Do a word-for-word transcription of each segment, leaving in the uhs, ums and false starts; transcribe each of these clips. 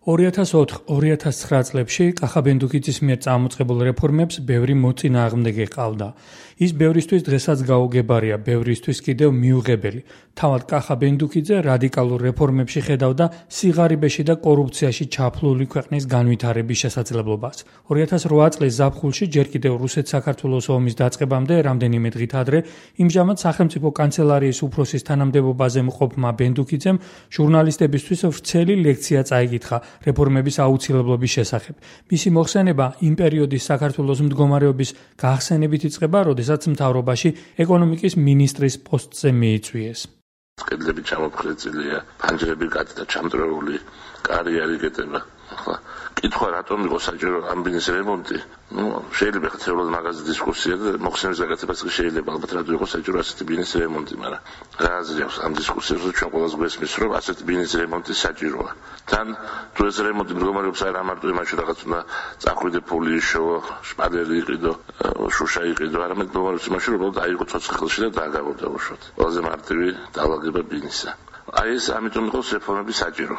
ორი ათას ოთხ ორი ათას ცხრა წლებში კახაბენდუკიძის მიერ წამოწყებულ რეფორმებს ბევრი მოწინააღმდეგე ჰყავდა. ის ბევრისთვის დღესაც გაუგებარია, ბევრისთვის კიდევ მიუღებელი. თავად კახაბენდუკიძე რადიკალურ რეფორმებში ხედავდა სიღარიბეში და კორუფციაში ჩაფლული ქვეყნის განვითარების შესაძლებლობას. ორი ათას რვა წლის ზაფხულში ჯერ კიდევ რუსეთ-საქართველოს ომის დაწყებამდე რამდენიმე დღით ადრე იმჟამად სახელმწიფო კანცელარიის უფროსის თანამდებობაზე მყოფმა ბენდუკიძემ ჟურნალისტებისთვის ვრცელი ლექცია წაიკითხა რეფორმების აუცილებლობის შესახებ. მისი მოხსენება იმ პერიოდის საქართველოს მდგომარეობის გახსენებით იწყება, როდესაც მთავრობაში ეკონომიკის მინისტრის პოსტზე მიიწვიეს. კედლები ჩამოფხრეწილია, ფანჯრები გატდა ჩამწრეული, კარი არ იკეტება. ახლა კითხვა რატომ იყო საჭირო ამ ბიზნეს რემონტი? ნუ შეიძლება ხეთრულად მაგაზე დისკუსია და მოხსენის გაკეთებაც შეიძლება, ალბათ რატო იყო საჭირო ასეთი ბიზნეს რემონტი, მაგრამ რა აზრი აქვს ამ დისკუსიაზე, ჩვენ ყველას გვესმის, რომ ასეთი ბიზნეს რემონტი საჭიროა. თან თუ ეს რემონტი მდგომარეობს არა მარტო იმაში რაღაც უნდა წახვიდე ფული იშოვო, შპალერი იყიდო, შუშა იყიდო, არამედ მდგომარეობს იმაში, რომ დაიღო ცოცხლ ხელში და დააგავდა უშოთ. ყველაზე მარტივი დაალაგება ბიზნესა. აი ეს ამიტომ იყო რეფორმების საჭირო.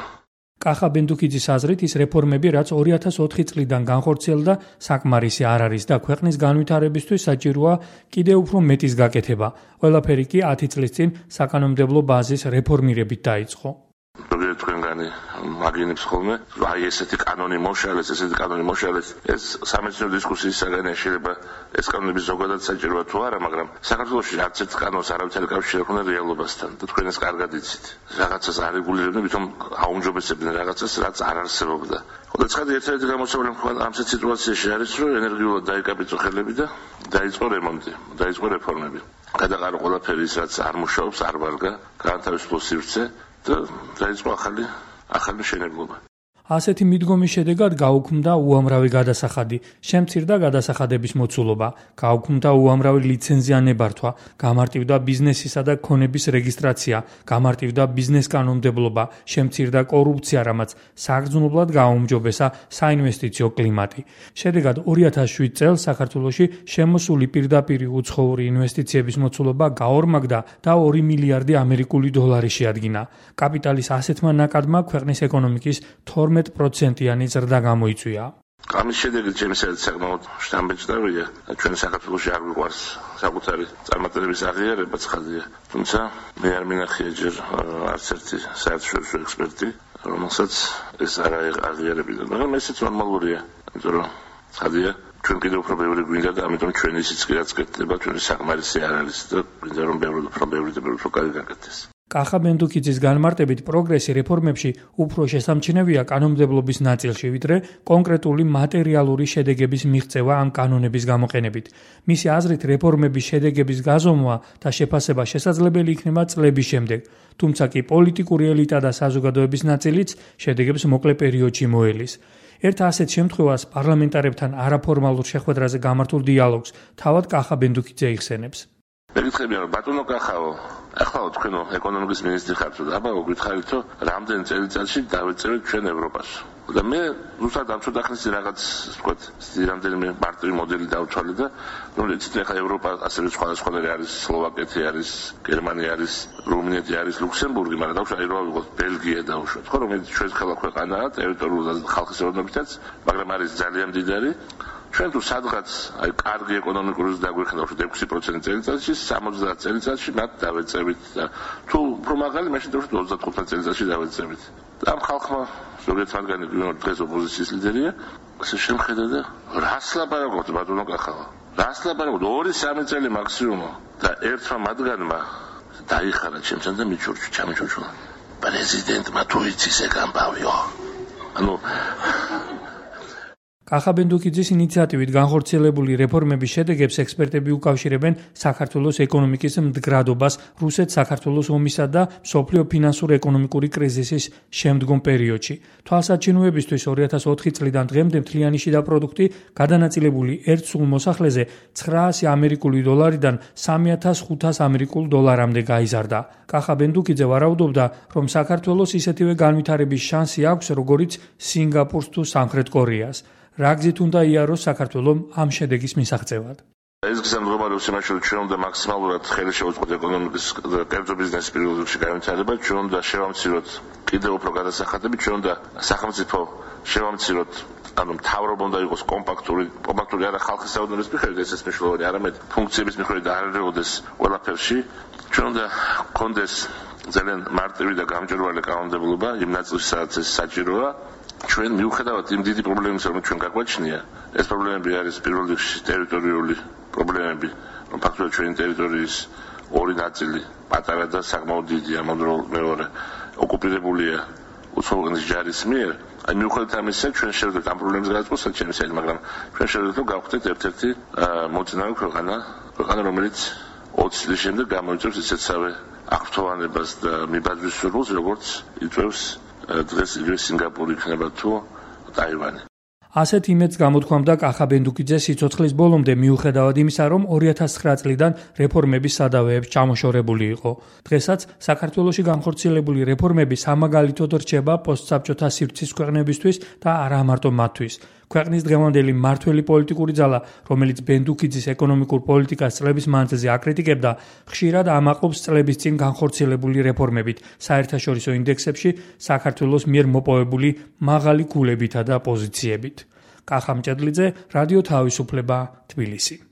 კახაბენდუკიძის აზრით ის რეფორმები, რაც ორი ათას ოთხი წლიდან განხორციელდა, საკმარისი არ არის და ქვეყნის განვითარებისთვის საჭიროა კიდევ უფრო მეტის გაკეთება. ყველაფერი კი ათი წლის წინ საკანონმდებლო ბაზის რეფორმირებით დაიწყო. ზოგიერთ თქვენგანი მაგინებს ხოლმე, აი ესეთი კანონი მოშალეს, ესეთი კანონი მოშალეს, ეს სამეცნიერო დისკუსიის საგანია, შეიძლება ეს კანონები ზოგადად საჭიროა თუ არა, მაგრამ საქართველოში არც ერთ კანონს არავის არ ეკავშირებდა რეალობასთან და თქვენ ეს კარგად იცით. რაღაცას არ რეგულირებდნენ, თვითონ აუმჯობესებდნენ რაღაცას, რაც არ არსებობდა. ხოლო ცხადი ერთ-ერთი გამოსავალი ამ სიტუაციაში არის, რომ ენერგიულად დაიკაბინო ხელები და დაიწყო რემონტი, დაიწყო რეფორმები. გადაყარო ყველაფერი ის, რაც არ მუშაობს, არ ვარგა, გაანთავისუფლო სივრცე და დაიწყო ახალი ახალი მშენებლობა. ასეთი მიდგომის შედეგად გაუქმდა უამრავი გადასახადი, შემცირდა გადასახადების მოცულობა, გაუქმდა უამრავი ლიცენზია ნებართვა, გამარტივდა ბიზნესისა და ქონების რეგისტრაცია, გამარტივდა ბიზნეს კანონმდებლობა, შემცირდა კორუფცია, რამაც საგრძნობლად გააუმჯობესა საინვესტიციო კლიმატი. შედეგად ორი ათას შვიდ წელს საქართველოში შემოსული პირდაპირი უცხოური ინვესტიციების მოცულობა გაორმაგდა და ორი მილიარდი ამერიკული დოლარი შეადგინა. კაპიტალის ასეთმა ნაკადმა ქვეყნის ეკონომიკის თორმეტ პროცენტიანი ზრდა გამოიწვია. ამის შედეგად ჩემსადაც საკმაოდ შთამბეჭდავია. ჩვენ საქართველოში არ გვიყვარს საკუთარი წარმატებების აღიარება ცხადია. თუმცა მე არ მინახია ჯერ არც ერთი საერთაშორისო ექსპერტი, რომელსაც ეს არ აღიარებინა. მაგრამ ესეც ნორმალურია, იმიტომ რომ ცხადია ჩვენ კიდევ უფრო ბევრი გვინდა და ამიტომ ჩვენი ისიც კი რაც გეთდება, ჩვენი საკმარისი არ არის და გვინდა რომ ბევრი უფრო ბევრი და ბევრი უფრო კარგი გაკეთდეს. კახაბენდუკიძის განმარტებით პროგრესი რეფორმებში უფრო შესამჩნევია კანონმდებლობის ნაწილში, ვიდრე კონკრეტული მატერიალური შედეგების მიღწევა ამ კანონების გამოყენებით. მისი აზრით რეფორმების შედეგების გაზომვა და შეფასება შესაძლებელი იქნება წლების შემდეგ, თუმცა კი პოლიტიკური ელიტა და საზოგადოების ნაწილიც შედეგებს მოკლე პერიოდში მოელის. ერთ ასეთ შემთხვევას პარლამენტარებთან არაფორმალურ შეხვედრაზე გამართულ დიალოგს თავად კახაბენდუკიძე იხსენებს. მეკითხებიან რომ ბატონო კახაო, ახლა თქვენო ეკონომიკის მინისტრი ხართ და აბა გითხარით რომ რამდენ წელიწადში დავეწევით ჩვენ ევროპას. და მე ზუსტად ამ ცოტა ხნის რაღაც ვთქვათ, რამდენიმე მარტივი მოდელი დავთვალე და რომელიც ახლა ევროპა ასევე სხვადასხვა არის, სლოვაკეთი არის, გერმანია არის, რუმინეთი არის, ლუქსემბურგი, მაგრამ დავშვა ეროვნულ ვიღოთ ბელგია დავშვა. ხო რომ ეს ჩვენ ხელა ქვეყანაა, ტერიტორიულად ხალხის ეროვნებითაც, მაგრამ არის ძალიან მდიდარი. ჩვენ თუ სადღაც აი კარგი ეკონომიკური ზრდა დაგვექნათ ექვსი პროცენტი წელიწადში, სამოცდაათ წელიწადში მათ დავეწევით და თუ უფრო მაღალი, მაშინ დავუშვათ ოცდათხუთმეტ წელიწადში დავეწევით. და ამ ხალხმა ზოგიერთ მათგანი დღეს ოპოზიციის ლიდერია, ასე შემხედა და რას ლაპარაკობთ ბატონო კახავა? რას ლაპარაკობთ? ორი სამი წელი მაქსიმუმ და ერთმა მათგანმა დაიხარა ჩემთან და მიჩურჩი, ჩამიჩურჩულა. პრეზიდენტმა თუ იცის ეგ ამბავიო. ანუ კახაბენდუკიძის ინიციატივით განხორციელებული რეფორმების შედეგებს ექსპერტები უკავშირებენ საქართველოს ეკონომიკის მდგრადობას რუსეთ-საქართველოს ომისა და მსოფლიო ფინანსურ-ეკონომიკური კრიზისის შემდგომ პერიოდში. თვალსაჩინოებისთვის ორი ათას ოთხი წლიდან დღემდე მთლიანი შიდა პროდუქტი გადანაწილებული ერთ სულ მოსახლეზე ცხრაასი ამერიკული დოლარიდან სამი ათას ხუთას ამერიკულ დოლარამდე გაიზარდა. კახაბენდუკიძე ვარაუდობდა, რომ საქართველოს ისეთივე განვითარების შანსი აქვს, როგორიც სინგაპურს თუ სამხრეთ კორეას. რა გზით უნდა იაროს საქართველომ ამ შედეგის მისაღწევად? ეს გზამდგომარეობს იმაში, რომ ჩვენ უნდა მაქსიმალურად ხელი შევუწყოთ ეკონომიკის კერძო ბიზნესის პირველ რიგში განვითარება, ჩვენ უნდა შევამციროთ კიდევ უფრო გადასახადები, ჩვენ უნდა სახელმწიფო შევამციროთ, ანუ მთავრობა უნდა იყოს კომპაქტური, კომპაქტური არა ხალხის საუბრის მიხედვით, ესეც მნიშვნელოვანი, არამედ ფუნქციების მიხედვით არ ერეოდეს ყველაფერში. ჩვენ უნდა გქონდეს ძალიან მარტივი და გამჭვირვალე კანონმდებლობა იმ ნაწილში, სადაც ეს საჭიროა. ჩვენ მიუხედავად იმ დიდი პრობლემისა, რომ ჩვენ გაგვაჩნია, ეს პრობლემები არის პირველ რიგში ტერიტორიული პრობლემები, რომ ფაქტობრივად ჩვენი ტერიტორიის ორი ნაწილი, პატარა და საკმაოდ დიდი, ამავდროულად მეორე, ოკუპირებულია უცხოეთის ჯარის მიერ. აი მიუხედავად ამისა, ჩვენ შევძლებთ ამ პრობლემის გადაწყვეტას, ჩემი საერთოდ, მაგრამ ჩვენ შევძლებთ, რომ გავხდეთ ერთ-ერთი მოწინავე ქვეყანა, ქვეყანა, რომელიც ოცი წლის შემდეგ გამოიწვევს ისეთსავე აღფრთოვანებას და მიბაძვის სურვილს, როგორც იწვევს დღეს იგივე სინგაპური იქნება თუ ტაივანი. ასეთ იმედს გამოთქვამდა კახაბენდუკიძე სიცოცხლის ბოლომდე, მიუხედავად იმისა, რომ ორი ათას ცხრა წლიდან რეფორმების სადავეებს ჩამოშორებული იყო. დღესაც საქართველოში განხორციელებული რეფორმები სამაგალითოდ რჩება პოსტსაბჭოთა სივრცის ქვეყნებისთვის და არა მარტო მათთვის. ქვეყნის დღევანდელი მმართველი პოლიტიკური ძალა, რომელიც ბენდუკიძის ეკონომიკურ პოლიტიკას წლების მანძილზე აკრიტიკებდა, ხშირად ამაყობს წლების წინ განხორციელებული რეფორმებით, საერთაშორისო ინდექსებში საქართველოს მიერ მოპოვებული მაღალი ქულებითა და პოზიციებით. კახა მჭედლიძე, რადიო თავისუფლება, თბილისი.